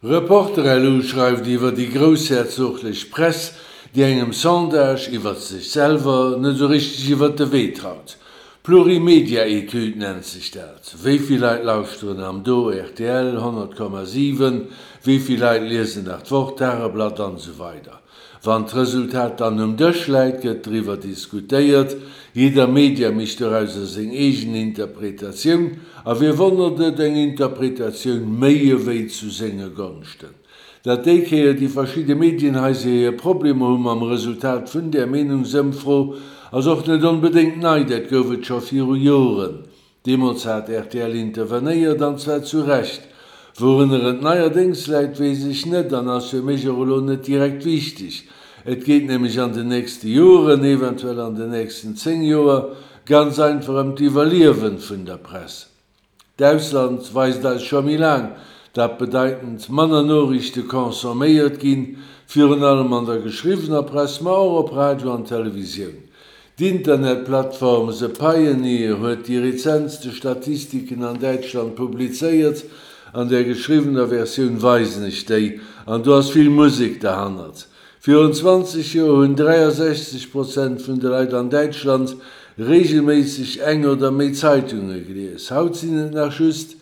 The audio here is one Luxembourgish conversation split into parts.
Reporter-LU schreift iwwer déi groussherzoglech Press, déi engem Sondage iwwer sech selwer net esou richteg iwwer de Wee traut. Plurimedia-Etüd nennt sech dat. Wéi vill Leit lauschteren am Do rtl 100,7, wéi vill Leit liesen nach d'Wort, d'Tageblatt an esou weider. Wann d'Resultat dann um Dësch läit, gëtt driwwer diskutéiert. Jidder Media mécht dorauser seng eegen Interpretatioun. A wie wonnert et, eng Interpretatioun méi ewéi zu senge Gonschten. Datt déi Kéier déi verschidde Medienhaiser hir Problemer hu mam Resultat vun där Meenungsëmfro, ass och net onbedéngt nei, dat gouf et scho viru Joren. Deemools hat rtl intervenéiert, an zwar zu Recht. Wourunner et neierdéngs läit, weess ech net an ass fir mech och elo net direkt wichteg. Et geet nämlech an den nächste Joren, eventuell an den nächsten 10 Joer, ganz einfach ëm d'Iwwerliewen vun der Press. D'Ausland weist eis scho méi laang, dat bedeitend manner Noriichte consomméiert ginn, virun allem an der geschriwwener Press, ma och op Radio an Televisioun. D'Internetplattform The Pioneer huet déi rezentste Statistiken an Däitschland publizéiert. An der geschriwwener Versioun weisen ech déi, an do ass vill Musek derhannert. Virun 20 Joer hunn 63 Prozent vun de Leit an Däitschland reegelméisseg eng oder méi Zeitunge gelies. Haut sinn et nach just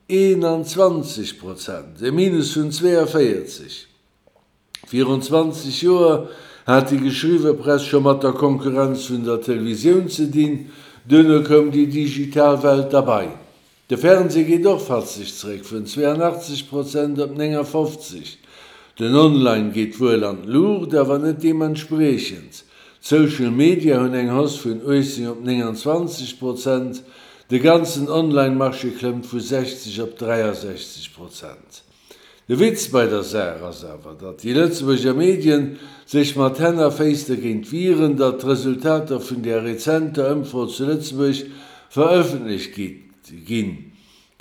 21 Prozent, e Minus vun 42. Virun 20 Joer hat déi geschriwwe Press scho mat der Konkurrenz vun der Televisioun ze dinn, duerno koum déi digital Welt derbei. De Fernsee geet och fatzeg zeréck, vun 82 Prozent op 59. Den Online geet wuel an d'Luucht, awer net deementspriechend. D'Social Media hunn eng Hausse vun 18 op 29 Prozent, de ganzen Online-Marché klëmmt vu 60 op 63 Prozent. De Witz bei der Saach ass awer, datt déi Lëtzebuerger Medien sech mat Hänn a Féiss dergéint wieren, datt d'Resultater vun där rezenter Ëmfro zu Lëtzebuerg verëffentlecht ginn.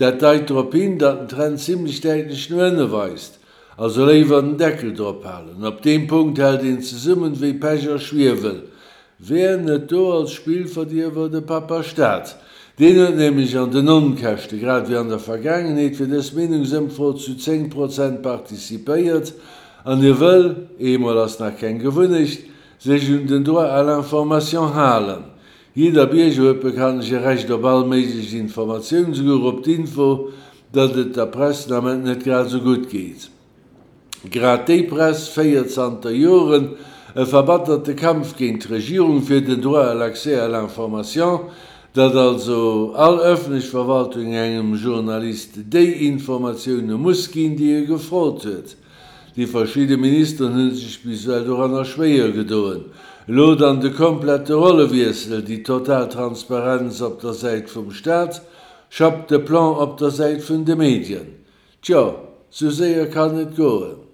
Dat deit drop hin, datt den Trend zimlech däitlech no ënne weist. Also léiwer den Deckel drop halen. Op deem Punkt hält een zesummen wéi Pech a Schwiewel. Wär net do als Spillverdierwer de Papa Staat? Deen huet nämlech an den Onkäschte, grad wéi an der Vergaangenheet, fir dës Meenungsëmfro zu 10 Prozent participéiert an hie wëll, eemol ass nach keng Gewunnecht, sech un den Droit à l'information halen. Jidder Bierger huet bekanntlech e Recht op all méiglech Informatioun, souguer op d'Info, datt et der Press den Ament net grad esou gutt geet. Grad déi Press féiert zanter Joren e verbatterte Kampf géint d'Regierung fir den Droit à l'accès à l'information, datt also all ëffentlech Verwaltung engem Journalist déi Informatioune muss ginn, déi e gefrot huet. Déi verschidde Ministeren hu sech bis ewell doranner schwéier gedoen. Elo dann de komplette Rollewiessel, déi total Transparenz op der Säit vum Staat, Chape de plomb op der Säit vun de Medien. Tjo, sou séier kann et goen.